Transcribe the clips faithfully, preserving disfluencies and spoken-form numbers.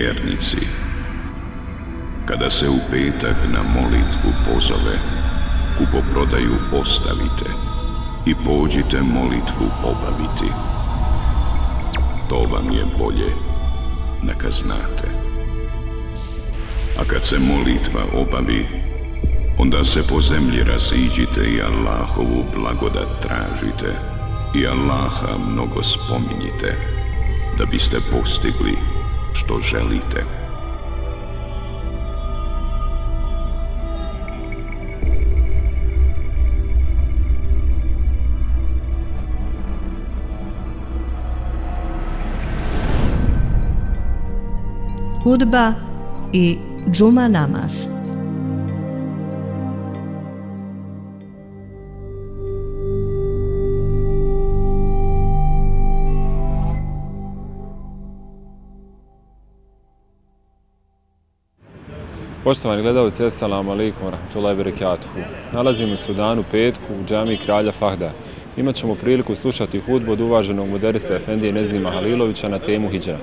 vjernici, kada se u petak na molitvu pozove, kupoprodaju ostavite i pođite molitvu obaviti. To vam je bolje, neka znate. A kad se molitva obavi, onda se po zemlji raziđite i Allahovu blagodat tražite i Allaha mnogo spominjite, da biste postigli što želite. Hudba i džuma namaz. Poštovani gledalci, assalamu alaikum wa rahmatullahi wa barakatuhu. Nalazimo se u danu petku u džamiji Kralja Fahda. Imat ćemo priliku slušati hudbu od uvaženog muderisa Efendije Nezima Halilovića na temu hidžra.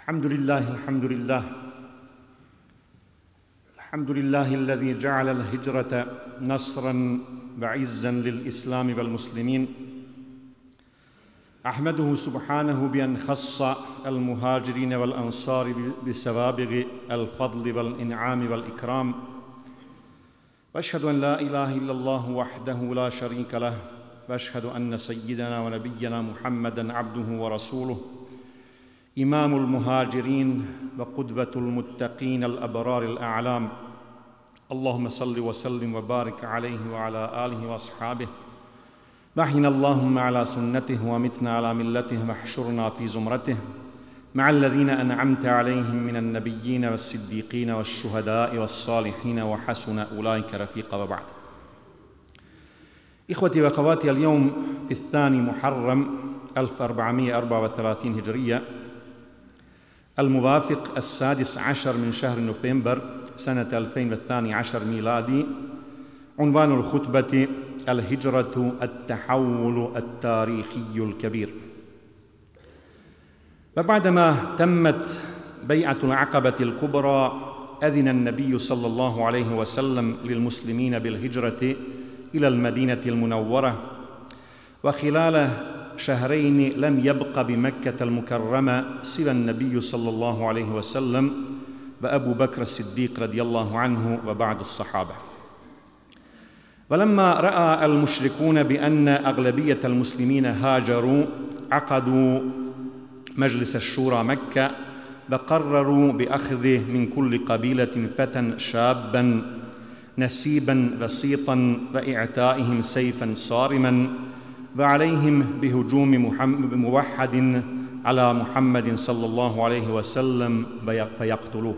الحمد لله الحمد لله الحمد لله الذي جعل الهجرة نصرا وعزا للإسلام والمسلمين. أحمده سبحانه بأن خص المهاجرين والأنصار بسوابغ الفضل والإنعام والإكرام، وأشهد أن لا إله إلا الله وحده لا شريك له، وأشهد أن سيدنا ونبينا محمدا عبده ورسوله، إمام المهاجرين وقدوة المتقين الأبرار الأعلام. اللهم صل وسلم وبارك عليه وعلى آله وأصحابه، وأحينا اللهم على سنته ومتنا على ملته، واحشرنا في زمرته مع الذين أنعمت عليهم من النبيين والصديقين والشهداء والصالحين وحسن أولئك رفيقا. وبعد. إخوتي وأخواتي، اليوم في الثاني محرم ألف وأربعمائة وأربعة وثلاثين هجرية، الموافق السادس عشر من شهر نوفمبر سنة ألفين واثني عشر ميلادي. عنوان الخطبة: الهجرة التحول التاريخي الكبير. وبعدما تمت بيعة العقبة الكبرى، أذن النبي صلى الله عليه وسلم للمسلمين بالهجرة إلى المدينة المنورة، وخلال شهرين لم يبق بمكة المكرمة سوى النبي صلى الله عليه وسلم وأبو بكر الصديق رضي الله عنه وبعض الصحابة. ولما رأى المشركون بأن أغلبية المسلمين هاجروا عقدوا مجلس الشورى مكة وقرروا بأخذ من كل قبيلة فتى شابا نسيبا وسيطا وإعتائهم سيفا صارما وعليهم بهجوم موحد على محمد صلى الله عليه وسلم فيقتلوه،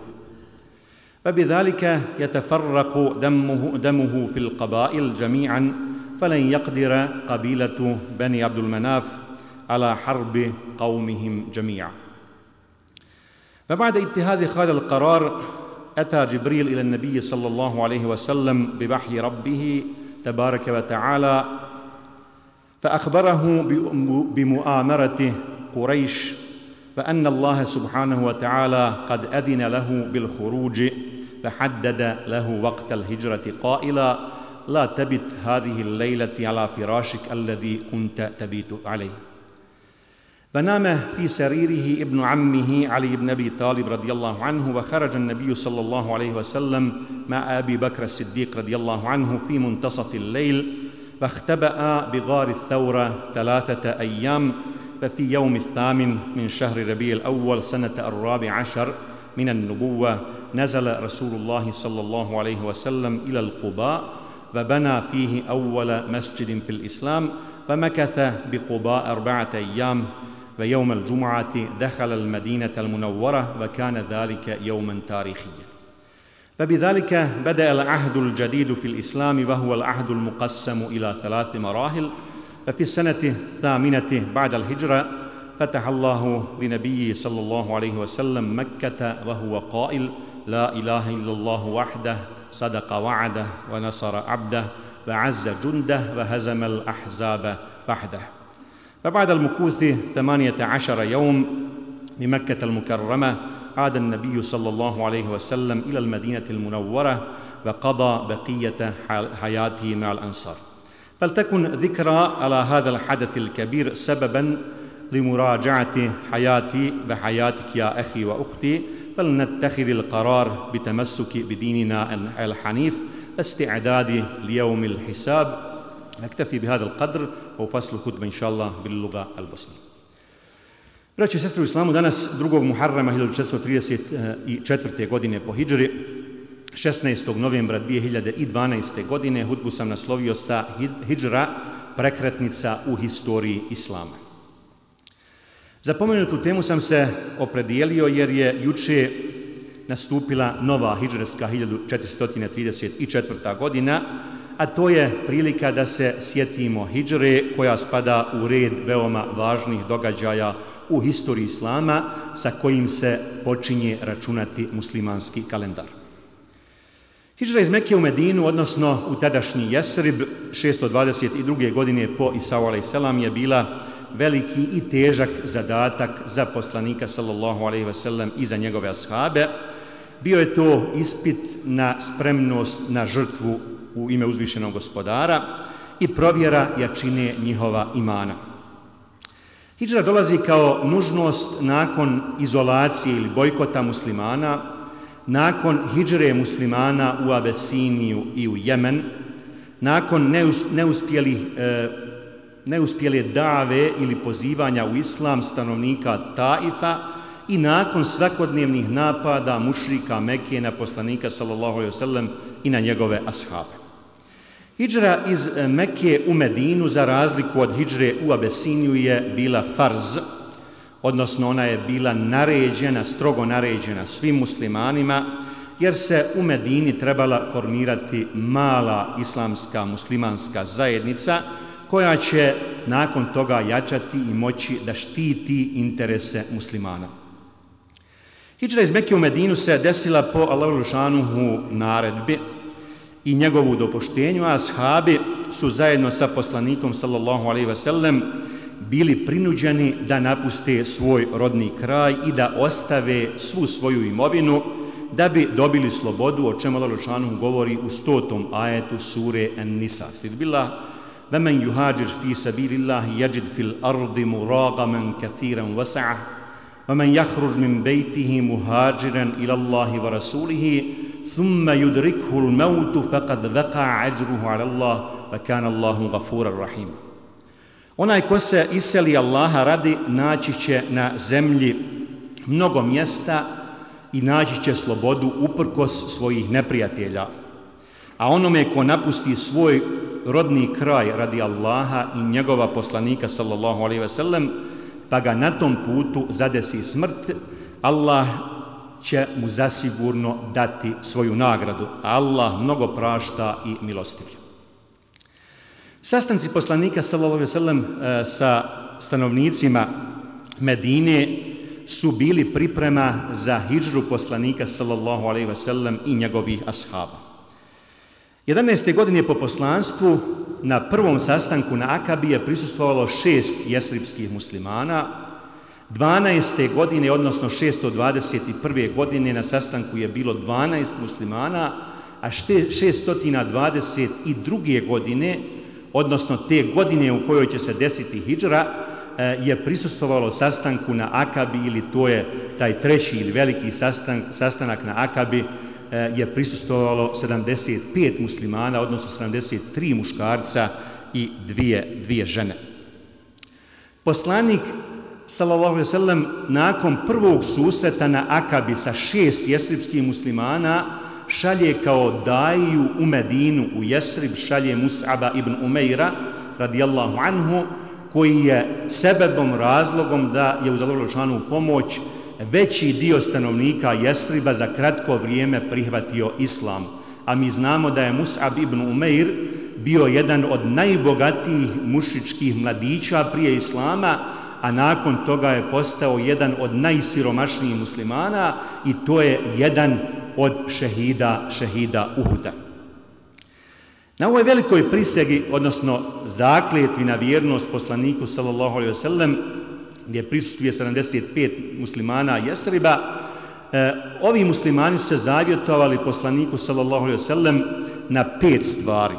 فبذلك يتفرق دمه, دمه في القبائل جميعا، فلن يقدر قبيلة بني عبد المناف على حرب قومهم جميعا. فبعد اتخاذ هذا القرار أتى جبريل إلى النبي صلى الله عليه وسلم بوحي ربه تبارك وتعالى فأخبره بمؤامرة قريش وأن الله سبحانه وتعالى قد أذن له بالخروج، فحدد له وقت الهجرة قائلا: لا تبت هذه الليلة على فراشك الذي كنت تبيت عليه. فنام في سريره ابن عمه علي بن أبي طالب رضي الله عنه، وخرج النبي صلى الله عليه وسلم مع أبي بكر الصديق رضي الله عنه في منتصف الليل، فاختبأ بغار الثورة ثلاثة أيام، ففي يوم الثامن من شهر ربيع الأول سنة الرابع عشر من النبوة نزل رسول الله صلى الله عليه وسلم إلى القباء وبنى فيه أول مسجد في الإسلام، فمكث بقباء أربعة أيام، ويوم الجمعة دخل المدينة المنورة، وكان ذلك يوما تاريخيا. فبذلك بدأ العهد الجديد في الإسلام، وهو العهد المقسم إلى ثلاث مراحل. ففي السنة الثامنة بعد الهجرة فتح الله لنبيه صلى الله عليه وسلم مكة وهو قائل: لا إله إلا الله وحده صدق وعده ونصر عبده وعز جنده وهزم الأحزاب وحده. فبعد المكوث ثمانية عشر يوم بمكة المكرمة عاد النبي صلى الله عليه وسلم إلى المدينة المنورة وقضى بقية حياته مع الأنصار. فلتكن ذكرى على هذا الحدث الكبير سببا لمراجعة حياتي وحياتك يا أخي وأختي، فلنتخذ القرار بتمسك بديننا الحنيف واستعداد ليوم الحساب. نكتفي بهذا القدر وفصل الخطبة إن شاء الله باللغة البosnije. Braći i sestre u islamu, danas drugog Muharrama hiljadu četiristo trideset četvrte. godine po hidžri, šesnaestog novembra dvije hiljade dvanaeste. godine, hutbu sam naslovio sta hidžra, prekretnica u historiji islama. Za pomenutu temu sam se opredijelio jer je juče nastupila nova hidžretska hiljadu četiristo trideset četvrta. godina, a to je prilika da se sjetimo hidžre koja spada u red veoma važnih događaja u historiji islama sa kojim se počinje računati muslimanski kalendar. Hidžra iz Mekke u Medinu, odnosno u tadašnji Jesrib, šesto dvadeset druge. godine po Isau alejselam je bila veliki i težak zadatak za poslanika sallallahu alejhi ve sellem i za njegove ashabe. Bio je to ispit na spremnost na žrtvu u ime uzvišenog gospodara i provjera jačine njihova imana. Hidžra dolazi kao nužnost nakon izolacije ili bojkota muslimana, nakon hidžre muslimana u Abesiniju i u Jemen, nakon neuspjelih, e, neuspjele dave ili pozivanja u islam stanovnika Taifa i nakon svakodnevnih napada mušrika Mekke na poslanika sallallahu alejhi ve sellem i na njegove ashabe. Hidžra iz Mekke u Medinu, za razliku od hidžre u Abesiniju, je bila farz, odnosno ona je bila naređena, strogo naređena svim muslimanima, jer se u Medini trebala formirati mala islamska muslimanska zajednica koja će nakon toga jačati i moći da štiti interese muslimana. Hidžra iz Mekke u Medinu se desila po Allahu dželešanuhu naredbi i njegovu dopuštenju, a ashabi su zajedno sa poslanikom sallallahu alejhi ve sellem bili prinuđeni da napuste svoj rodni kraj i da ostave svu svoju imovinu da bi dobili slobodu, o čemu Allah dželešanuhu govori u stotom ajetu sure An-Nisa. Stid billah, وَمَنْ يُهَاجِرْ فِي سَبِيلِ اللَّهِ يَجِدْ فِي الْأَرْضِ مُرَاغَمًا كَثِيرًا وَسَعَةً وَمَنْ يَخْرُجْ مِنْ بَيْتِهِ مُهَاجِرًا إِلَى اللَّهِ وَرَسُولِهِ ثُمَّ يُدْرِكْهُ الْمَوْتُ فَقَدْ وَقَعَ أَجْرُهُ عَلَى اللَّهِ وَكَانَ اللَّهُ غَفُورًا رَحِيمًا. Onaj ko se iseli Allaha radi, naći će na zemlji mnogo mjesta i naći će slobodu uprkos svojih neprijatelja. A onome ko napusti svoj rodni kraj radi Allaha i njegova poslanika sallallahu alejhi ve sellem, pa ga na tom putu zadesi smrt, Allah će mu zasigurno dati svoju nagradu. Allah mnogo prašta i milostiv. Sastanci poslanika sallallahu alejhi ve sellem sa stanovnicima Medine su bili priprema za hidžru poslanika sallallahu alejhi ve sellem i njegovih ashaba. jedanaeste godine po poslanstvu na prvom sastanku na Akabi je prisustvovalo šest jesribskih muslimana. dvanaeste godine, odnosno šesto dvadeset prve godine na sastanku je bilo dvanaest muslimana, a šesto dvadeset druge godine, odnosno te godine u kojoj će se desiti hidžra, je prisustvovalo sastanku na Akabi, ili to je taj treći ili veliki sastanak, sastanak na Akabi, je prisustvovalo sedamdeset pet muslimana, odnosno sedamdeset tri muškarca i dvije, dvije žene. Poslanik sallallahu alejhi ve sellem nakon prvog susreta na Akabi sa šest jesribskih muslimana šalje kao daiju u Medinu, u Jesrib, šalje Mus'aba ibn Umeira radijallahu anhu, koji je sebebom, razlogom da je uz Allahovu dželešanu pomoć veći dio stanovnika Jesriba za kratko vrijeme prihvatio islam. A mi znamo da je Mus'ab ibn Umeir bio jedan od najbogatijih mušičkih mladića prije islama, a nakon toga je postao jedan od najsiromašnijih muslimana i to je jedan od šehida, šehida Uhuda. Na ovoj velikoj prisegi, odnosno zakletvi na vjernost poslaniku sallallahu alejhi ve sellem, gdje prisustvuje sedamdeset pet muslimana Jesriba, e, ovi muslimani su se zavjetovali poslaniku sallallahu alejhi ve sellem na pet stvari.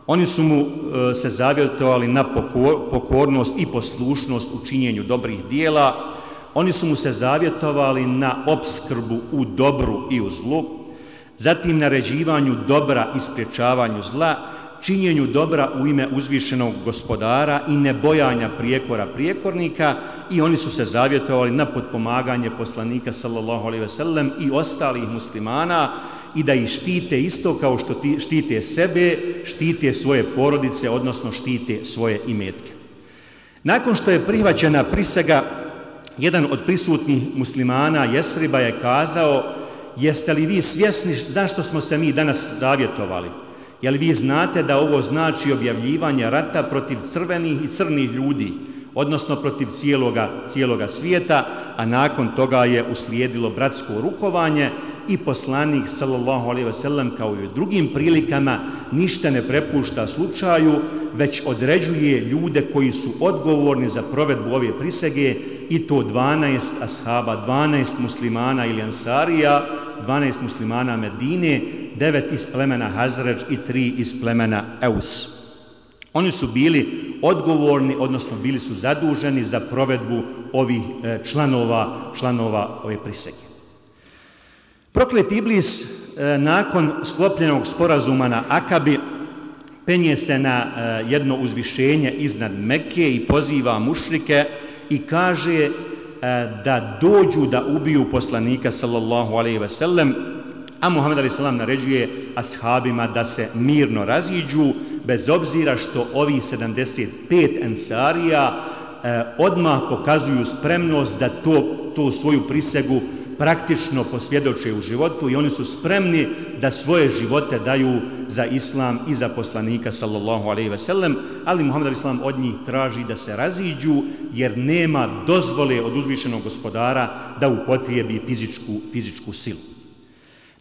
Oni su mu e, se zavjetovali na pokor, pokornost i poslušnost u činjenju dobrih dijela. Oni su mu se zavjetovali na opskrbu u dobru i u zlu, zatim naređivanju dobra i sprječavanju zla, činjenju dobra u ime uzvišenog gospodara i nebojanja prijekora prijekornika, i oni su se zavjetovali na potpomaganje poslanika sallallahu alejhi ve sellem i ostalih muslimana i da ih štite isto kao što štite sebe, štite svoje porodice, odnosno štite svoje imetke. Nakon što je prihvaćena prisega, jedan od prisutnih muslimana Jesriba je kazao: jeste li vi svjesni zašto smo se mi danas zavjetovali? Jel vi znate da ovo znači objavljivanje rata protiv crvenih i crnih ljudi, odnosno protiv cijeloga, cijeloga svijeta, a nakon toga je uslijedilo bratsko rukovanje i poslanik sallallahu alejhi ve sellem kao i u drugim prilikama ništa ne prepušta slučaju, već određuje ljude koji su odgovorni za provedbu ove prisege, i to dvanaest ashaba, dvanaest muslimana ili ansarija, dvanaest muslimana Medine, devet iz plemena Hazređ i tri iz plemena Eus. Oni su bili odgovorni, odnosno bili su zaduženi za provedbu ovih članova, članova ove prisege. Proklet Iblis nakon sklopljenog sporazuma na Akabi penje se na jedno uzvišenje iznad Mekke i poziva mušrike i kaže da dođu da ubiju poslanika sallallahu alejhi ve sellem, a Muhammed alejhi selam naređuje ashabima da se mirno raziđu, bez obzira što ovi sedamdeset pet ensarija eh, odmah pokazuju spremnost da to, to svoju prisegu praktično posvjedoče u životu, i oni su spremni da svoje živote daju za islam i za poslanika sallallahu alejhi ve sellem, ali Muhammed alejhi selam od njih traži da se raziđu, jer nema dozvole od uzvišenog gospodara da upotrijebi fizičku, fizičku silu.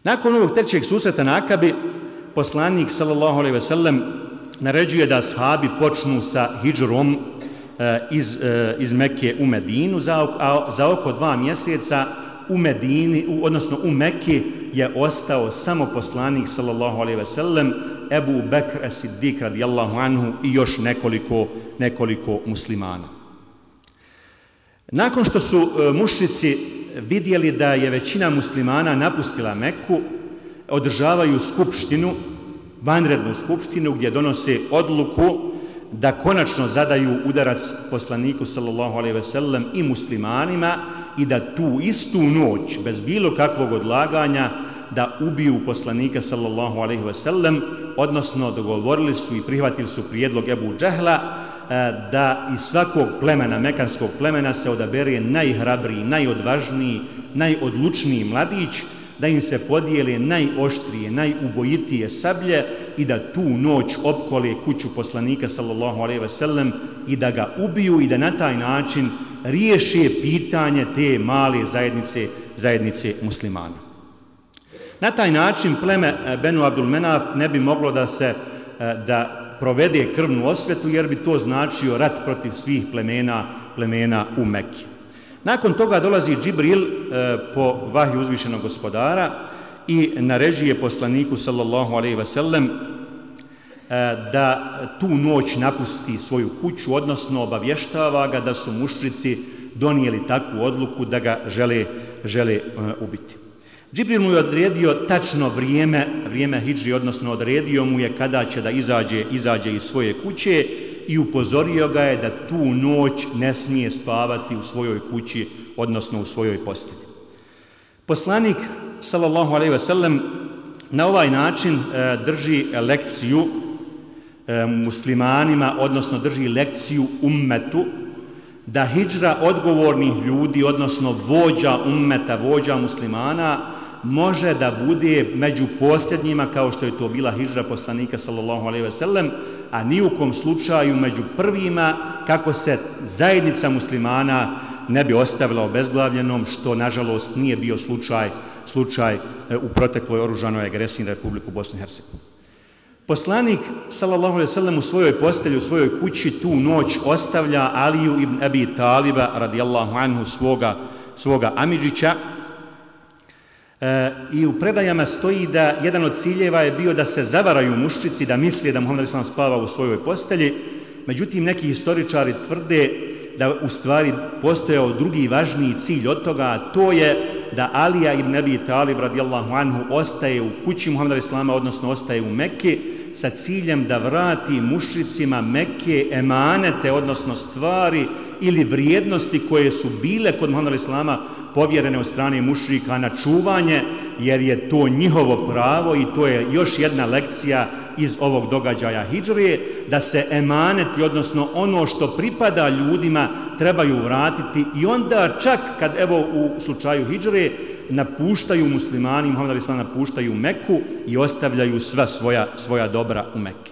Nakon ovog trećeg susreta na Akabi, poslanik sallallahu alejhi ve sellem naređuje da ashabi počnu sa hidžrom iz, iz Mekke u Medinu. Za, za oko dva mjeseca u Medini, u, odnosno u Mekki, je ostao samo poslanik sallallahu alejhi ve sellem Ebu Bekr es-Siddiq radijallahu anhu i još nekoliko, nekoliko muslimana. Nakon što su mušrici vidjeli da je većina muslimana napustila Meku, održavaju skupštinu, vanrednu skupštinu gdje donose odluku da konačno zadaju udarac poslaniku sallallahu alejhi ve sellem i muslimanima i da tu istu noć, bez bilo kakvog odlaganja, da ubiju poslanika sallallahu alejhi ve sellem, odnosno dogovorili su i prihvatili su prijedlog Ebu Džehla da iz svakog plemena, mekanskog plemena, se odabere najhrabriji, najodvažniji, najodlučniji mladić, da im se podijele najoštrije, najubojitije sablje i da tu noć opkole kuću poslanika sallallahu alejhi ve sellem i da ga ubiju i da na taj način riješe pitanje te male zajednice, zajednice muslimana. Na taj način pleme Benu Abdul Menaf ne bi moglo da se da provede krvnu osvetu, jer bi to značio rat protiv svih plemena, plemena u Mekki. Nakon toga dolazi Džibril e, po vahju uzvišenog gospodara i naređuje poslaniku sallallahu alejhi ve sellem e, da tu noć napusti svoju kuću, odnosno obavještava ga da su mušrici donijeli takvu odluku da ga žele, žele e, ubiti. Džibril mu je odredio tačno vrijeme, vrijeme hidžri, odnosno odredio mu je kada će da izađe, izađe iz svoje kuće i upozorio ga je da tu noć ne smije spavati u svojoj kući, odnosno u svojoj postelji. Poslanik sallallahu alejhi ve sellem na ovaj način e, drži lekciju e, muslimanima, odnosno drži lekciju ummetu, da hidžra odgovornih ljudi, odnosno vođa ummeta, vođa muslimana, može da bude među posljednjima, kao što je to bila hidžra poslanika sallallahu alejhi ve sellem, a ni u kom slučaju među prvima, kako se zajednica muslimana ne bi ostavila obezglavljenom, što nažalost nije bio slučaj, slučaj u protekloj oružanoj agresiji na Republiku Bosnu i Hercegovinu. Poslanik sallallahu alejhi ve sellem u svojoj postelji, u svojoj kući tu noć ostavlja Aliju ibn Abi Taliba radijallahu anhu, svoga, svoga amidžića, e, i u predajama stoji da jedan od ciljeva je bio da se zavaraju mušrici, da misle da Muhammed alejhi spava u svojoj postelji. Međutim, neki historičari tvrde da u stvari postojao drugi važniji cilj od toga, a to je da Alija ibn Abi Talib radijallahu anhu ostaje u kući Muhameda alejhi, odnosno ostaje u Mekki, sa ciljem da vrati mušricima Mekke emanete, odnosno stvari ili vrijednosti koje su bile kod Muhameda alejhi povjerene od strane mušrika na čuvanje, jer je to njihovo pravo i to je još jedna lekcija iz ovog događaja hidžrije, da se emaneti, odnosno ono što pripada ljudima, trebaju vratiti i onda čak kad, evo u slučaju hidžrije, napuštaju muslimani, Muhammed alejhi napuštaju Meku i ostavljaju sva svoja, svoja dobra u Mekki.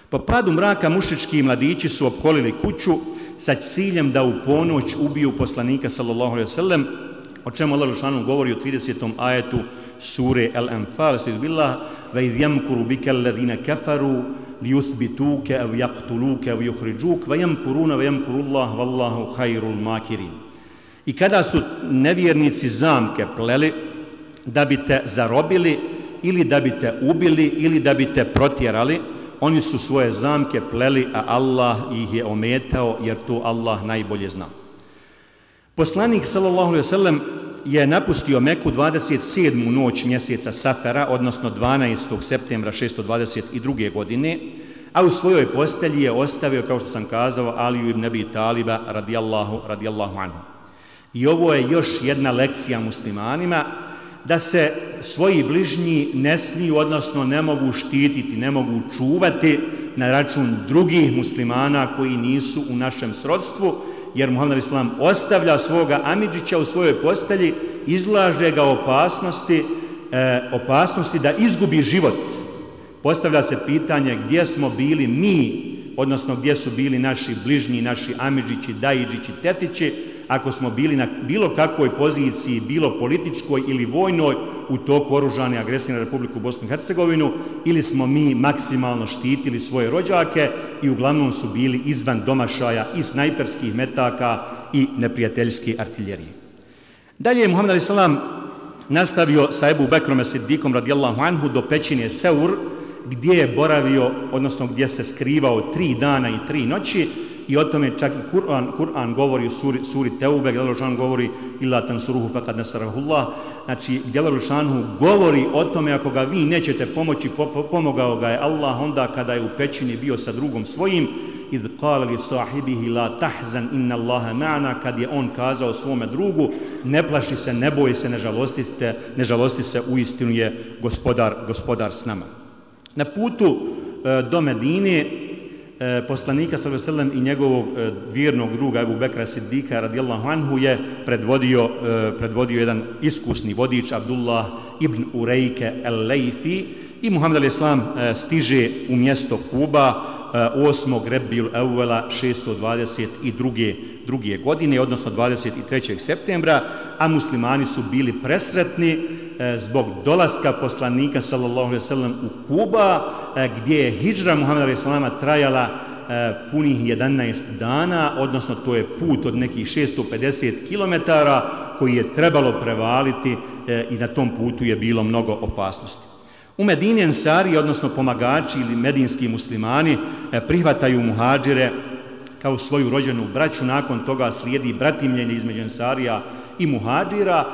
Po padu mraka mušički mladići su opkolili kuću sa ciljem da u ponoć ubiju poslanika sallallahu alejhi ve sellem, o čemu Allah dželešanu govori u tridesetom ajetu sure Al-Anfal, billah ve iz yamkuru bika alladhina kafaru liyuthbituka aw yaqtuluka aw yukhrijuk wa yamkuruna wa yamkurullah wallahu khairul makirin. I kada su nevjernici zamke pleli da bi te zarobili ili da bi te ubili ili da bi te protjerali, oni su svoje zamke pleli, a Allah ih je ometao, jer to Allah najbolje zna. Poslanik sallallahu alejhi ve sellem je napustio Meku dvadeset sedmu noć mjeseca Safera, odnosno dvanaestog septembra šesto dvadeset druge. godine, a u svojoj postelji je ostavio, kao što sam kazao, Aliju ibn Abi Taliba radijallahu, radijallahu anhu. I ovo je još jedna lekcija muslimanima, da se svoji bližnji ne smiju, odnosno ne mogu štititi, ne mogu čuvati na račun drugih muslimana koji nisu u našem srodstvu, jer Muhammed alejhi ostavlja svoga amidžića u svojoj postelji, izlaže ga opasnosti, e, opasnosti da izgubi život. Postavlja se pitanje gdje smo bili mi, odnosno gdje su bili naši bližnji, naši amidžići, dajidžići, tetići, ako smo bili na bilo kakvoj poziciji, bilo političkoj ili vojnoj, u toku oružane agresije na Republiku Bosnu i Hercegovinu, ili smo mi maksimalno štitili svoje rođake i uglavnom su bili izvan domašaja i snajperskih metaka i neprijateljske artiljerije. Dalje je Muhammed alejhi selam nastavio sa Ebu Bekrom es-Siddikom radijallahu anhu do pećine Seur, gdje je boravio, odnosno gdje se skrivao tri dana i tri noći, i o tome čak i Kur'an, Kur'an govori u suri, suri Teube, gdje Allah govori illa tansuruhu faqad nasarahullah, znači gdje Allah govori o tome ako ga vi nećete pomoći, pomogao ga je Allah onda kada je u pećini bio sa drugom svojim, idh qala li sahibihi la tahzan inna Allaha ma'ana, kad je on kazao svome drugu ne plaši se, ne boji se, ne žalostite, ne žalosti se, uistinu je gospodar, gospodar s nama. Na putu e, do Medine e, poslanika sallallahu alejhi ve sellem i njegovog e, vjernog druga Ebu Bekra Sidika radijallahu anhu je predvodio, e, predvodio jedan iskusni vodič Abdullah ibn Urejke el-Lejfi i Muhammed al-Islam e, stiže u mjesto Kuba osmog Rebijul Evvela šesto dvadeset druge godine, odnosno dvadeset trećeg septembra, a muslimani su bili presretni zbog dolaska poslanika sallallahu alejhi ve sellem u Kuba, gdje je hidžra Muhameda alejhi selama trajala punih jedanaest dana, odnosno to je put od nekih šesto pedeset kilometara koji je trebalo prevaliti i na tom putu je bilo mnogo opasnosti. U Medini ensari, odnosno pomagači ili medinski muslimani, prihvataju muhadžire kao svoju rođenu braću, nakon toga slijedi bratimljenje između ensarija i muhadžira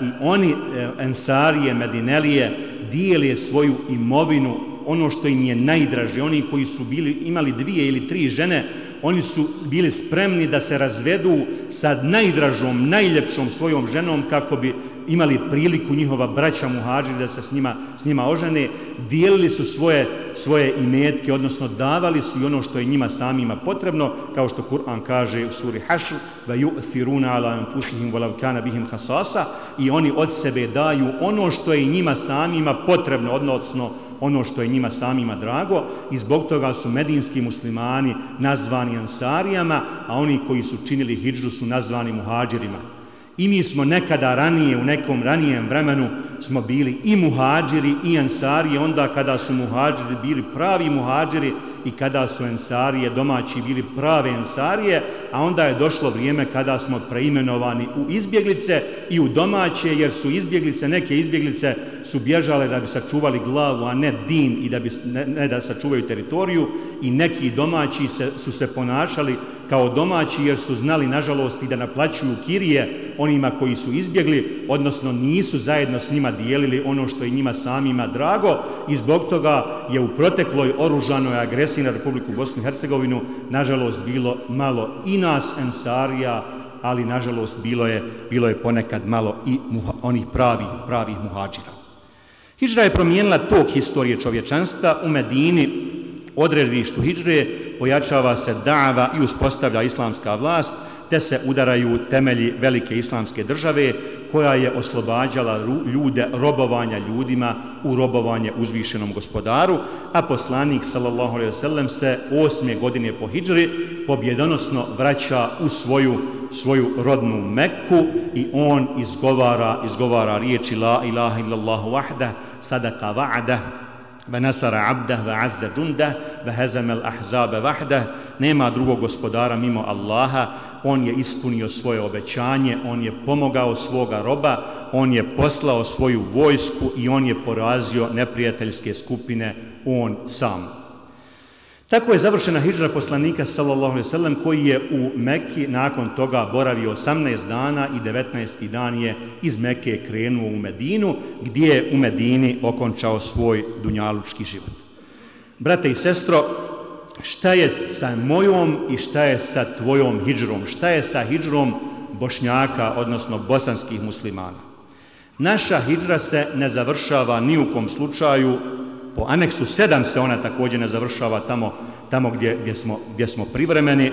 i oni, ensarije, medinelije, dijele svoju imovinu, ono što im je najdraže. Oni koji su bili, imali dvije ili tri žene, oni su bili spremni da se razvedu sa najdražom, najljepšom svojom ženom kako bi imali priliku njihova braća muhadžiri da se s njima, s njima ožene. Dijelili su svoje, svoje imetke, odnosno davali su i ono što je njima samima potrebno, kao što Kur'an kaže u suri Hašr, وَيُؤْثِرُونَ عَلَى أَنفُسِهِمْ وَلَوْ كَانَ بِهِمْ خَصَاصَ, i oni od sebe daju ono što je njima samima potrebno, odnosno ono što je njima samima drago, i zbog toga su medinski muslimani nazvani ensarijama, a oni koji su činili hidžru su nazvani muhadžirima. I mi smo nekada ranije, u nekom ranijem vremenu, smo bili i muhadžiri i ensarije, onda kada su muhadžiri bili pravi muhadžiri i kada su ensarije domaći bili prave ensarije, a onda je došlo vrijeme kada smo preimenovani u izbjeglice i u domaće, jer su izbjeglice, neke izbjeglice su bježale da bi sačuvali glavu, a ne din, i da bi, ne, ne da sačuvaju teritoriju, i neki domaći se, su se ponašali kao domaći jer su znali, nažalost, i da naplaćuju kirije onima koji su izbjegli, odnosno nisu zajedno s njima dijelili ono što je njima samima drago, i zbog toga je u protekloj oružanoj agresiji na Republiku Bosnu i Hercegovinu, nažalost, bilo malo i nas ensarija, ali nažalost bilo je, bilo je ponekad malo i muha, onih pravih, pravih muhadžira. Hidžra je promijenila tok historije čovječanstva. U Medini, odredištu hidžre, pojačava se da'va i uspostavlja islamska vlast, te se udaraju temelji velike islamske države koja je oslobađala ljude robovanja ljudima u robovanje uzvišenom gospodaru, a poslanik sallallahu alejhi ve sellem se osme godine po hidžri pobjedonosno vraća u svoju, svoju rodnu Mekku i on izgovara, izgovara riječi la ilaha illallahu vahdah, sadaka va'dah, وَنَسَرَ عَبْدَهُ وَعَزَّ جُنْدَهُ وَهَزَمَ الْأَحْزَابَ وَحْدَهُ. Nema drugog gospodara mimo Allaha, on je ispunio svoje obećanje, on je pomogao svoga roba, on je poslao svoju vojsku i on je porazio neprijateljske skupine, on sam. Tako je završena hidžra poslanika sallallahu alejhi ve sellem, koji je u Mekki nakon toga boravio osamnaest dana i devetnaesti dan je iz Mekke krenuo u Medinu, gdje je u Medini okončao svoj dunjalučki život. Brate i sestro, šta je sa mojom i šta je sa tvojom hidžrom? Šta je sa hidžrom Bošnjaka, odnosno bosanskih muslimana? Naša hidžra se ne završava ni u kom slučaju. Po aneksu sedam se ona također ne završava tamo, tamo gdje, gdje, smo, gdje smo privremeni,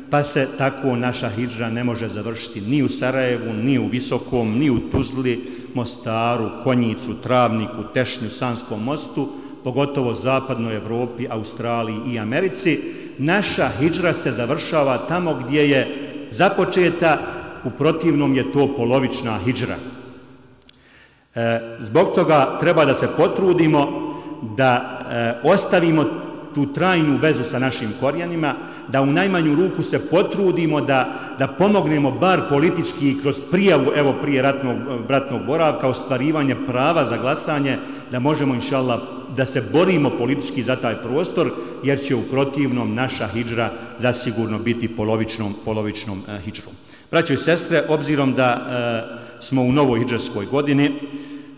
pa se tako naša hidžra ne može završiti ni u Sarajevu, ni u Visokom, ni u Tuzli, Mostaru, Konjicu, Travniku, Tešnju, Sanskom mostu, pogotovo zapadnoj Evropi, Australiji i Americi. Naša hidžra se završava tamo gdje je započeta, u protivnom je to polovična hidžra. E, zbog toga treba da se potrudimo da e, ostavimo tu trajnu vezu sa našim korijenima, da u najmanju ruku se potrudimo da, da pomognemo bar politički kroz prijavu, evo prije ratnog, ratnog boravka, ostvarivanje prava za glasanje, da možemo inšallah da se borimo politički za taj prostor, jer će u protivnom naša hidžra zasigurno biti polovičnom, polovičnom uh, hidžrom. Braćo i sestre, obzirom da uh, smo u novoj hidžarskoj godini,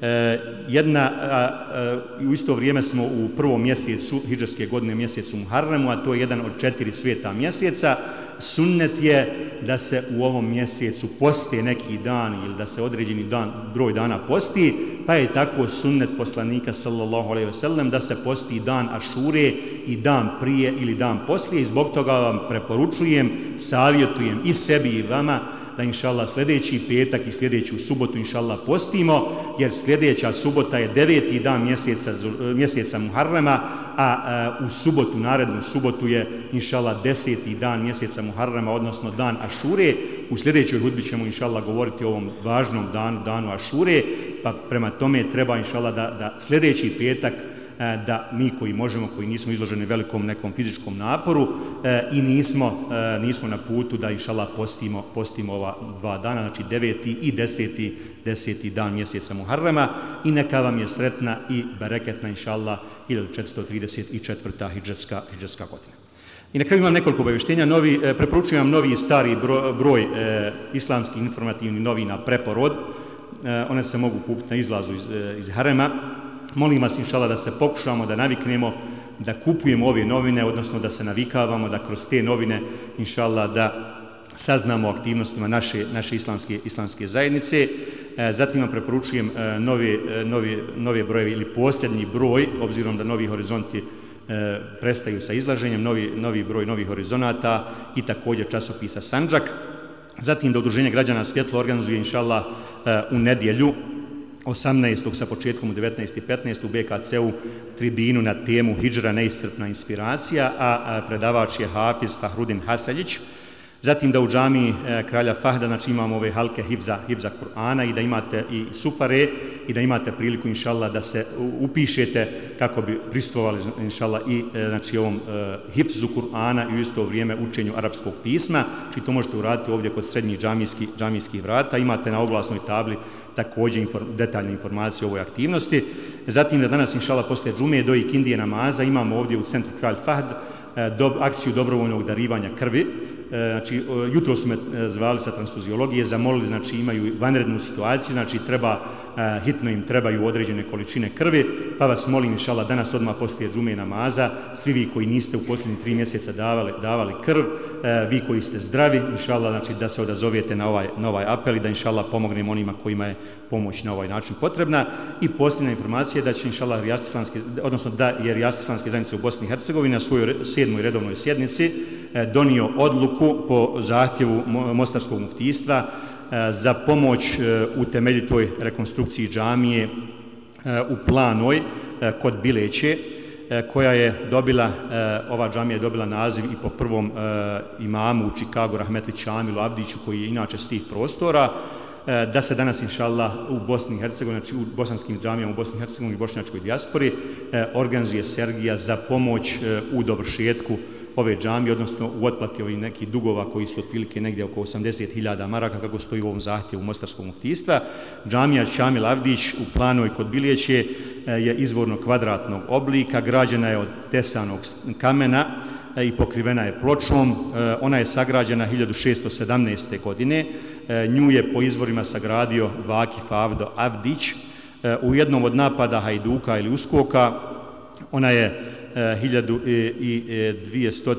E, jedna, a, a, u isto vrijeme smo u prvom mjesecu hidžarske godine, mjesecu Muharremu, a to je jedan od četiri sveta mjeseca. Sunnet je da se u ovom mjesecu posti neki dan ili da se određeni dan, broj dana posti, pa je tako sunnet poslanika sallallahu alejhi ve sellem da se posti dan Ašure i dan prije ili dan poslije, i zbog toga vam preporučujem, savjetujem i sebi i vama da inšallah sljedeći petak i sljedeću subotu inšallah postimo, jer sljedeća subota je deveti dan mjeseca, mjeseca Muharrema, a, a u subotu, narednu subotu je inšallah deseti dan mjeseca Muharrema, odnosno dan Ašure. U sljedećoj hudbi ćemo inšallah govoriti o ovom važnom danu, danu Ašure, pa prema tome treba inšallah da, da sljedeći petak da mi koji možemo, koji nismo izloženi velikom nekom fizičkom naporu e, i nismo, e, nismo na putu da inšallah postimo, postimo ova dva dana, znači deveti i deseti, deseti dan mjeseca Muharrema, i neka vam je sretna i bereketna inšallah hiljadu četiristo trideset četvrta hidžarska, hidžarska godina. I na kraju imam nekoliko obavještenja. Novi, e, preporučujem vam novi i stari broj, broj e, islamskih informativnih novina Preporod. E, one se mogu kupiti na izlazu iz, e, iz harema. Molim vas inšallah da se pokušamo, da naviknemo, da kupujemo ove novine, odnosno da se navikavamo, da kroz te novine inšallah da saznamo o aktivnostima naše, naše islamske, islamske zajednice. E, zatim vam preporučujem e, nove, nove, nove brojevi ili posljednji broj, obzirom da Novi horizonti e, prestaju sa izlaženjem, novi, novi broj Novih horizonata i također časopisa Sandžak. Zatim da Udruženje građana Svjetlo organizuje inšallah e, u nedjelju osamnaestog sa početkom u devetnaest i petnaest u be ka ce-u tribinu na temu Hidžra neiscrpna inspiracija, a predavač je Hafiz Fahrudin Hasaljić. Zatim da u džamiji Kralja Fahda, znači imamo ove halke hifza, hifza Kur'ana, i da imate i sufare, i da imate priliku inšallah da se upišete kako bi prisustvovali inšallah i znači ovom hifzu Kur'ana i u isto vrijeme učenju arapskog pisma. Znači to možete uraditi ovdje kod srednjih džamijskih, džamijskih vrata. Imate na oglasnoj tabli također inform, detaljne informacije o ovoj aktivnosti. Zatim da danas inšallah posle džume do ikindije namaza imamo ovdje u centru Kralj Fahd do, akciju dobrovoljnog darivanja krvi. Znači, jutro su me zvali sa transfuziologije, zamolili, znači imaju vanrednu situaciju, znači treba, hitno im trebaju određene količine krvi, pa vas molim inšallah danas odmah poslije džume namaza, svi vi koji niste u posljednjih tri mjeseca davali, davali krv, vi koji ste zdravi, inšallah, znači da se odazovete na ovaj, na ovaj apel i da inšallah pomognemo onima kojima je pomoć na ovaj način potrebna. I posljedna informacija da će inšallah odnosno da je Rijast islamske zajednice u Bosni i Hercegovini na svojoj sedmoj redovnoj sjednici donio odluku po zahtjevu Mostarskog muftijstva za pomoć u temeljitoj rekonstrukciji džamije u Planoj kod Bileće, koja je dobila, ova džamija je dobila naziv i po prvom imamu u Čikagu, Rahmetli Čamilu Abdiću, koji je inače s tih prostora, da se danas inšallah u Bosni i Hercegovini, znači u bosanskim džamijama u Bosni i Hercegovini i bošnjačkoj dijaspori organizuje Sergija za pomoć u dovršetku ove džamije, odnosno u otplati ovih nekih dugova koji su otprilike negdje oko osamdeset hiljada maraka, kako stoji u ovom zahtjevu Mostarskog muftijstva. Džamija Čamil Avdić u Planoj kod Biljeće je izvorno kvadratnog oblika, građena je od tesanog kamena i pokrivena je pločom. Ona je sagrađena hiljadu šesto sedamnaeste. godine. Nju je po izvorima sagradio Vakif Avdo Avdić. U jednom od napada Hajduka ili Uskoka ona je hiljadu dvjesto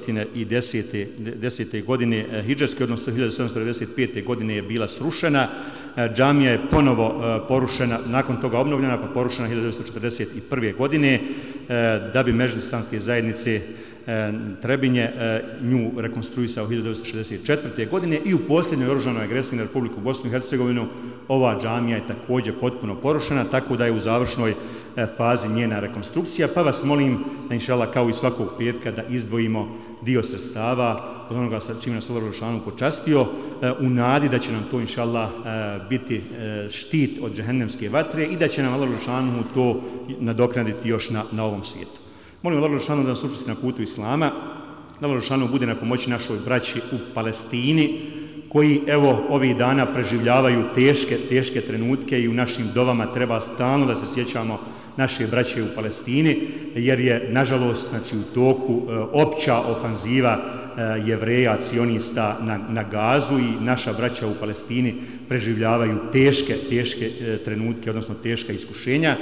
desete. godine hidžarske, odnosno hiljadu sedamsto devedeset pete. godine je bila srušena. Džamija je ponovo porušena, nakon toga obnovljena, pa porušena hiljadu devetsto četrdeset prve. godine, da bi Medžlis islamske zajednice Trebinje nju rekonstruisao hiljadu devetsto šezdeset četvrte. godine i u posljednjoj oružanoj agresiji na Republiku Bosnu i Hercegovinu ova džamija je također potpuno porušena, tako da je u završnoj fazi njena rekonstrukcija, pa vas molim da inšallah kao i svakog petka da izdvojimo dio sredstava od onoga sa čime nas Allah Đelešanu počastio, u nadi da će nam to inšallah biti štit od džehennemske vatre i da će nam Allah Đelešanu to nadoknaditi još na, na ovom svijetu. Molim Allah Đelešanu da nas učesti na putu Islama, da Allah Đelešanu bude na pomoći našoj braći u Palestini, koji evo ovih dana preživljavaju teške, teške trenutke i u našim dovama treba stalno da se sjećamo naše braće u Palestini, jer je, nažalost, znači, u toku opća ofanziva Jevreja, cionista na, na Gazu i naša braća u Palestini preživljavaju teške, teške trenutke, odnosno teška iskušenja.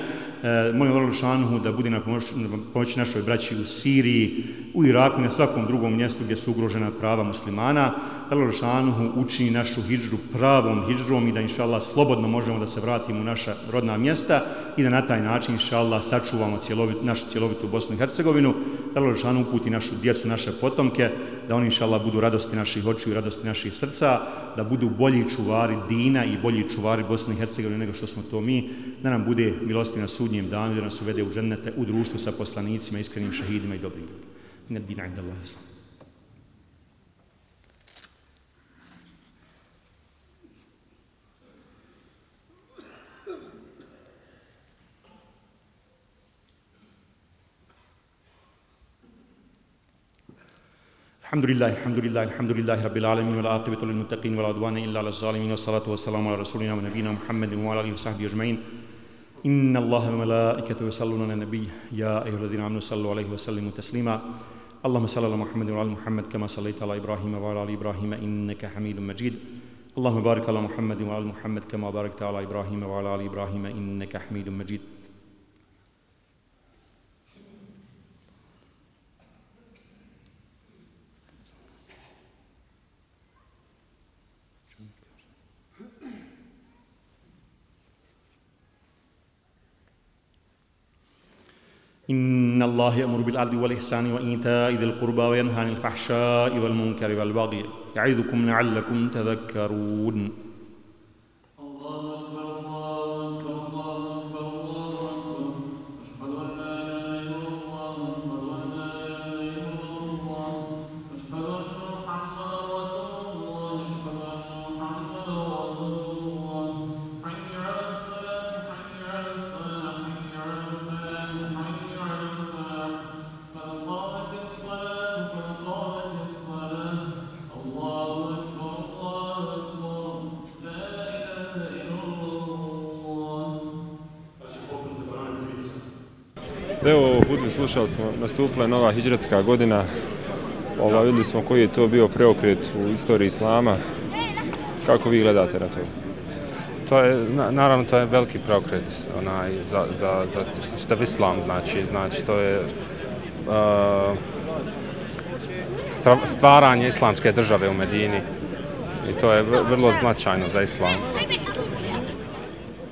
Molim Allah dželešanohu da bude na pomoć, pomoć našoj braći u Siriji, u Iraku i na svakom drugom mjestu gdje su ugrožena prava muslimana. Allah dželešanohu učini našu hidžru pravom hidžrom i da inša Allah slobodno možemo da se vratimo u naša rodna mjesta i da na taj način inša Allah sačuvamo cjelovit, našu cjelovitu Bosnu i Hercegovinu. Da Allah dželešanohu uputi našu djecu, naše potomke, da oni inša Allah budu radosti naših očiju i radosti naših srca, da budu bolji čuvari dina i bolji čuvari Bosne i Hercegovine nego što smo to mi, da nam bude milostiv na sudnjem danu, da nas uvede u džennete u društvu sa poslanicima, iskrenim šehidima i dobrim ljudima. Inna dina inda Allahi islam. الحمد لله الحمد لله الحمد لله رب العالمين والعاقبة للمتقين ولا عدوان إلا على الظالمين والصلاة والسلام على رسولنا ونبينا محمد وعلى آله وصحبه أجمعين. إن الله وملائكته يصلون على النبي يا أيها الذين آمنوا صلوا عليه وسلموا تسليما. اللهم صل على محمد وعلى محمد كما صليت على إبراهيم وعلى آل إبراهيم إنك حميد مجيد. اللهم بارك على محمد وعلى محمد كما باركت على إبراهيم وعلى آل إبراهيم إنك حميد مجيد. إن الله يأمر بالعدل والإحسان وإيتاء ذي القربى وينهى عن الفحشاء والمنكر والبغي يعظكم لعلكم تذكرون. Evo, hudbi slušali smo, nastupila je nova hidžretska godina. Ova, vidjeli smo koji je to bio preokret u istoriji islama. Kako vi gledate na to? To je, naravno, to je veliki preokret onaj, za, za, za čitav islam, znači, znači to je uh, stvaranje islamske države u Medini i to je vrlo značajno za islam.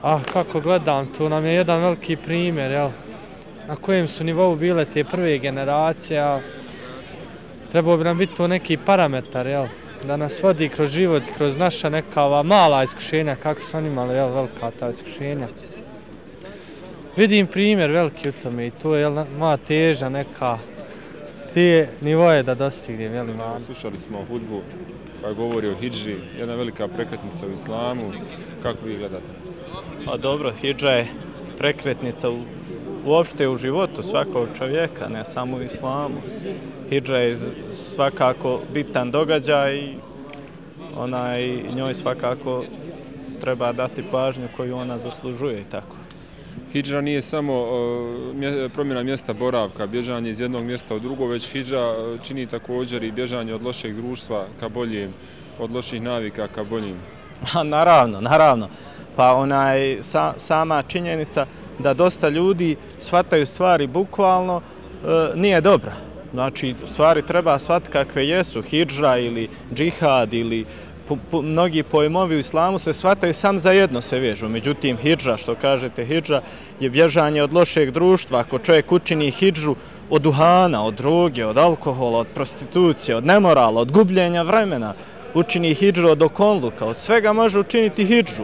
Ah, kako gledam, tu nam je jedan veliki primjer, jel? Na kojem su nivou bile te prve generacije, trebao bi nam biti to neki parametar, jel? Da nas vodi kroz život, kroz naša neka ova mala iskušenja, kako su oni imali, jel, velika ta iskušenja. Vidim primjer veliki u tome i to je, jel, moja teža neka, te nivoje da dostignem, jel, imam. Slušali smo hudbu koja govori o hidži, jedna velika prekretnica u islamu. Kako vi gledate? Pa dobro, hidža je prekretnica u uopšte u životu svakog čovjeka, ne samo u islamu. Hidža je svakako bitan događaj i onaj, njoj svakako treba dati pažnju koju ona zaslužuje i tako. Hidža nije samo uh, promjena mjesta boravka, bježanje iz jednog mjesta u drugo, već hidža čini također i bježanje od lošeg društva ka boljem, od loših navika ka boljim. A, naravno, naravno. Pa onaj, sa, sama činjenica da dosta ljudi shvataju stvari bukvalno e, nije dobra. Znači, stvari treba shvatiti kakve jesu, hidža ili džihad ili po, po, mnogi pojmovi u islamu se shvataju sam za jedno se vežu. Međutim, hidža, što kažete, hidža je bježanje od lošeg društva. Ako čovjek učini hidžu od duhana, od droge, od alkohola, od prostitucije, od nemorala, od gubljenja vremena, učini hidžu od okonluka, od svega može učiniti hidžu.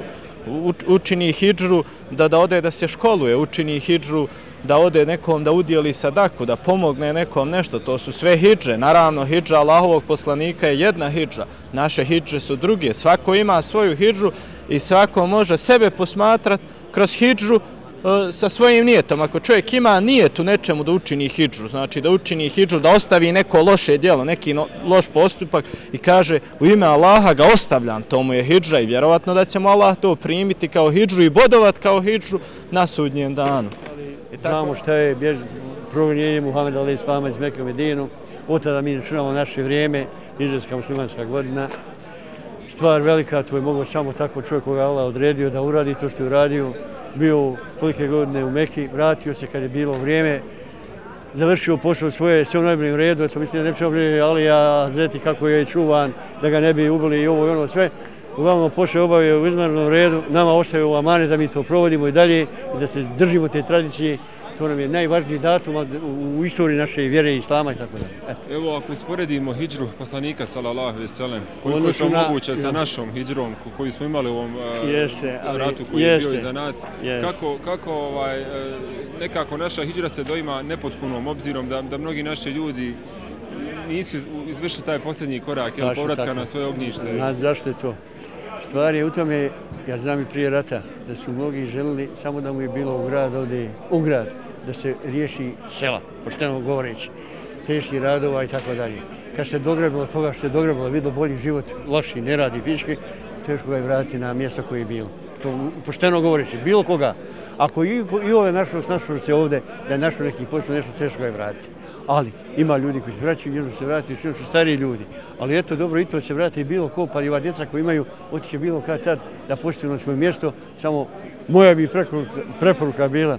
Učini hidžu da, da ode da se školuje, učini hidžu da ode nekom da udjeli sadaku, da pomogne nekom nešto. To su sve hidže. Naravno, hidža Allahovog poslanika je jedna hidža. Naše hidže su druge. Svako ima svoju hidžu i svako može sebe posmatrati kroz hidžu sa svojim nijetom. Ako čovjek ima nijet u nečemu da učini hidžu, znači da učini hidžu, da ostavi neko loše djelo, neki no, loš postupak i kaže u ime Allaha ga ostavljam, to mu je hidža i vjerovatno da će mu Allah to primiti kao hidžu i bodovat kao hidžu na sudnjem danu. I Znamo šta je progonjenje Muhameda alejhi selama iz Mekke u Medinu. Od tada mi računamo naše vrijeme, izraelska muslimanska godina. Stvar velika, to je moglo samo tako čovjek koga Allah odredio da uradi to što je uradio. Bio tolike godine u Mekki, vratio se kad je bilo vrijeme, završio posao svoje, sve u najboljem redu, eto mislim da ne pričao prije Alija, znati kako je čuvan, da ga ne bi ubili i ovo i ono sve. Uglavnom posao obavio u izvanrednom redu, nama ostaje u amane da mi to provodimo i dalje i da se držimo te tradicije. To nam je najvažniji datum u istoriji naše vjere i islama i tako dalje. Evo, ako usporedimo hidžru poslanika, sallallahu alejhi ve sellem, koliko je to moguće sa našom hidžrom koju smo imali u ovom ratu koji je bio iza nas, kako nekako naša hidžra se doima nepotpunom, obzirom da mnogi naši ljudi nisu izvršili taj posljednji korak, povratka na svoje ognjište. Zašto je to? Stvar je u tome, ja znam i prije rata, da su mnogi želili samo da mu je bilo u grad ovdje, u grad, da se riješi sela, pošteno govoreći, teški radova i tako dalje. Kad se dogrebilo toga što se dogrebilo, vidio bolji život, loši, ne radi fizički, teško ga je vratiti na mjesto koje je bilo. To pošteno govoreći, bilo koga. Ako i ove našlost, našlo se ovdje, da je našlo neki posao, nešto teško ga je vratiti. Ali ima ljudi koji se vraćaju, jedno se vrati, što su stariji ljudi. Ali eto, dobro, i to se vrati bilo ko, pa i ova djeca koji imaju, otiće bilo kad tad da postaju na svoje mjesto. Samo moja bi preporuka bila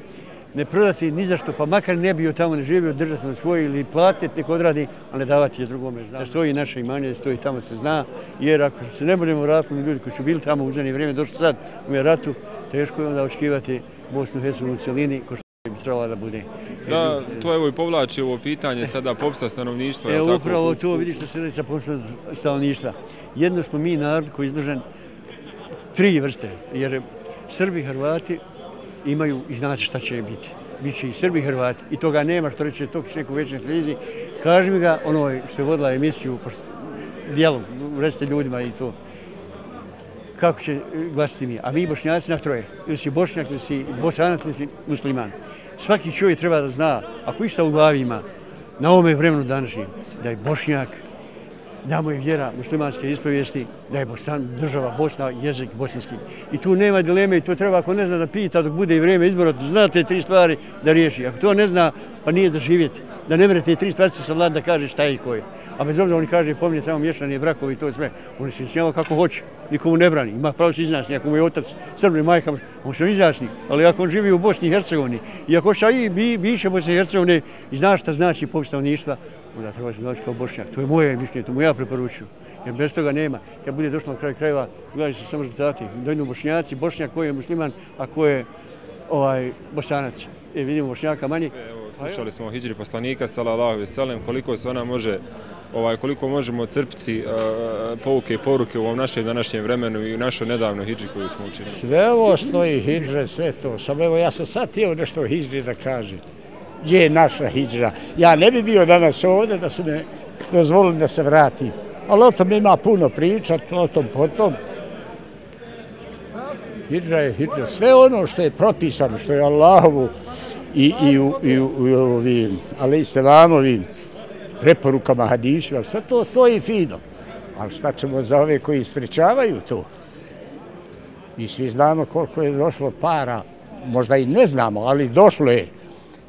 ne prodati ni zašto, pa makar ne bio tamo, ne živio, držati na svoje ili platiti, neko odradi, a ne davati je drugome. Da stoji naše imanje, da stoji tamo se zna, jer ako se ne budemo vratili ljudi koji su bili tamo u zadnje vrijeme, došli sad u ratu, teško je onda očekivati Bosnu i Hercegovinu u cijelini, ko što bi trebala da bude. Da, to evo i povlači ovo pitanje sada popisa stanovništva. Evo upravo to, vidiš što se radi sa popisa stanovništva. Jedno smo mi narod koji je izložen tri vrste, jer Srbi i Hrvati imaju i znate šta će biti. Biće i Srbi i Hrvati. I toga nema što reće to neku večernoj televiziji. Kaži mi ga onoj što je vodila emisiju dijelom, recite ljudima i to. Kako će glasiti mi? A mi Bošnjaci na troje. Ili si Bošnjak, ili si Bosanac, ili si musliman. Svaki čovjek treba da zna, ako išta u glavi ima, na ovome vremenu današnjem, da je Bošnjak, da mu je vjera muslimanske ispovijesti, da je država Bosna, jezik bosanski. I tu nema dileme i to treba, ako ne zna da pita dok bude i vrijeme izbora, zna te tri stvari da riješi. Ako to ne zna, pa nije za živjeti. Da ne mere te tri stvari se savlada da kaže šta je i ko je. A bez obzira oni kaže, pomnije tamo mješanje brakovi i to sve. Oni se izjašnjava kako hoće, nikomu ne brani. Ima pravo se izjasni, ako mu je otac Srbi, majka, on se izjasni. Ali ako on živi u Bosni i Hercegovini i ako šta i biše Bosne i Hercegovine i zna šta znači popis stanovništva, onda treba se doći kao Bošnjak. To je moje mišljenje, to mu ja preporučujem. Jer bez toga nema. Kad bude došlo na kraj krajeva, gledaju se samo rezultati. Dojdu Bošnjaci, Bošnjak koji je musliman, a koji je Bosanac. E, vidimo Bošnjaka manje. Slušali smo o hidžri poslanika, sallallahu alejhi ve sellem, koliko se ona može, koliko možemo crpiti pouke i poruke u ovom našem današnjem vremenu i u našoj nedavnoj hidžri koju smo učinili. Sve ovo stoji hidžre, sve to. Samo evo, ja sam sad htio nešto o hidžri da kažem. Gdje je naša hidžra? Ja ne bi bio danas ovdje da se ne dozvolili da se vratim. Ali o tom ima puno pričat, o tom potom. Hidžra je hidžra. Sve ono što je propisano, što je Allahovu i, i u, i u, u ovim, ali i selamovim preporukama, hadisima, sve to stoji fino. Ali šta ćemo za ove koji ispričavaju to? I svi znamo koliko je došlo para, možda i ne znamo, ali došlo je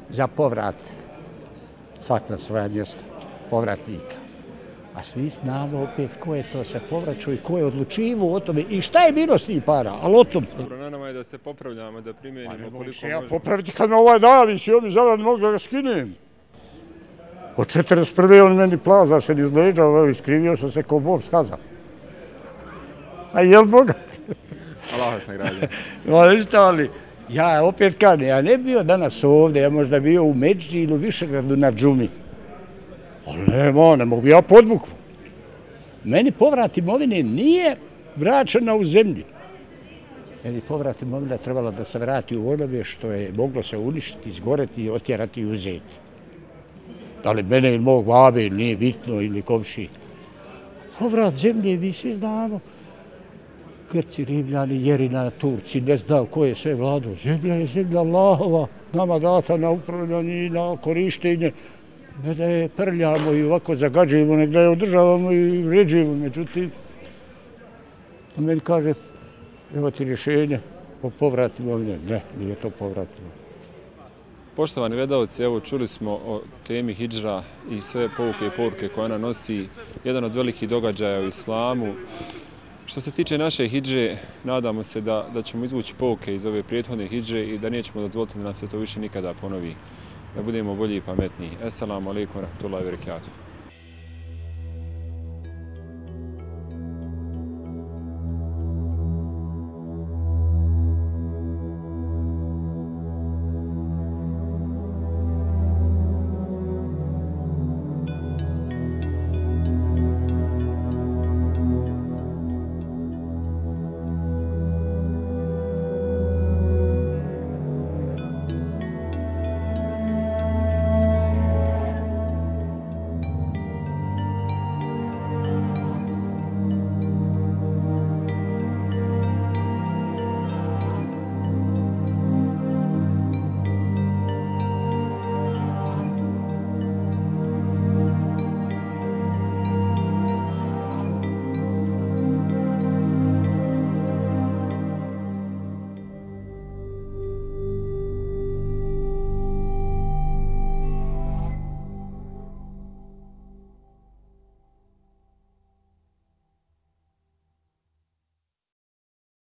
za povrat svak na svoja mjesta, povratnika. A svi znamo opet ko je to se povraćao i ko je odlučivo o tome i šta je bilo s tih para, ali o tom... Dobro, na nama je da se popravljamo, da primjenimo koliko možemo. Ja popraviti kad me ovaj davi, si on mi zadan mogu da ga skinem. Od četrdeset prve on meni plaza se izleđao, iskrivio sam se ko Bog staza. A jel bogat? Allah vas nagrađa. No, ništa, ali ja opet kažem, ja ne bio danas ovdje, ja možda bio u Međi ili u Višegradu na džumi. Ali nema, ne mogu ja podvukvu. Meni povrat imovine nije vraćena u zemlji. Meni povrat imovine trebala da se vrati u onome što je moglo se uništiti, izgoreti, otjerati i uzeti. Da li mene ili mog babe ili nije bitno ili komši. Povrat zemlje, vi svi znamo. Grci, Rimljani, Jerina, Turci, ne znam ko je sve vladao. Zemlja je zemlja Allahova, nama data na upravljanje i na korištenje. Ne da je prljamo i ovako zagađujemo, ne da je održavamo i vređujemo. Međutim, on meni kaže, evo ti rješenje o povrat imovine. Ne, nije to povrat imovine. Poštovani gledalci, evo čuli smo o temi hidžra i sve pouke i poruke koje ona nosi, jedan od velikih događaja u islamu. Što se tiče naše hidže, nadamo se da, da ćemo izvući pouke iz ove prethodne hidže i da nećemo dozvoliti da nam se to više nikada ponovi. Da budemo bolji i pametniji. Esselamu alaikum wa rahmatullahi wa barakatuh.